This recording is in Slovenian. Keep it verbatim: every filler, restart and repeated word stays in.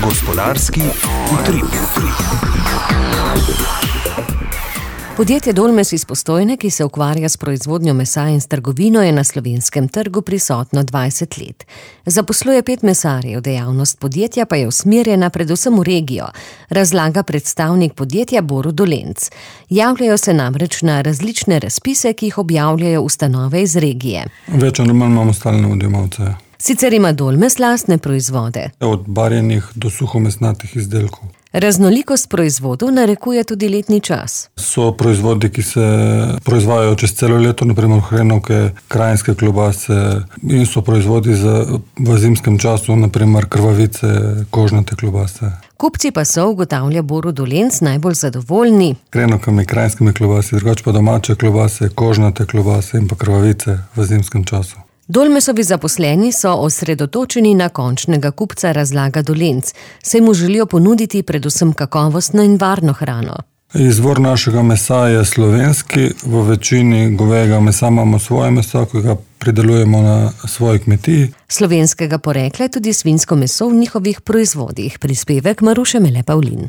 Gospodarski utrip. Podjetje Dolmes iz Postojne, ki se ukvarja s proizvodnjo mesa in s trgovino, je na slovenskem trgu prisotno dvajset let. Zaposluje pet mesarjev, dejavnost podjetja pa je usmerjena predvsem v regijo, razlaga predstavnik podjetja Borut Dolenc. Javljajo se namreč na različne razpise, ki jih objavljajo ustanove iz regije. Več ali manj imamo stalne odjemalce. Sicer ima Dolmes lastne proizvode. Od barjenih do suhomesnatih izdelkov. Raznolikost proizvodov narekuje tudi letni čas. So proizvodi, ki se proizvajajo čez celo leto, naprimer hrenovke, krajinske klobase, in so proizvodi za, v zimskem času, naprimer krvavice, kožnate klobase. Kupci pa so, ugotavlja Borut Dolenc, najbolj zadovoljni hrenovkami, krajinskimi klobase, drugače pa domače klobase, kožnate klobase in pa krvavice v zimskem času. Dolmesovi zaposleni so osredotočeni na končnega kupca, razlaga Dolenc, saj mu želijo ponuditi predvsem kakovostno in varno hrano. Izvor našega mesa je slovenski, v večini govejega mesa imamo svoje meso, ki ga pridelujemo na svoji kmetiji. Slovenskega porekla je tudi svinjsko meso v njihovih proizvodih. Prispevek Maruše Mele Pavlin.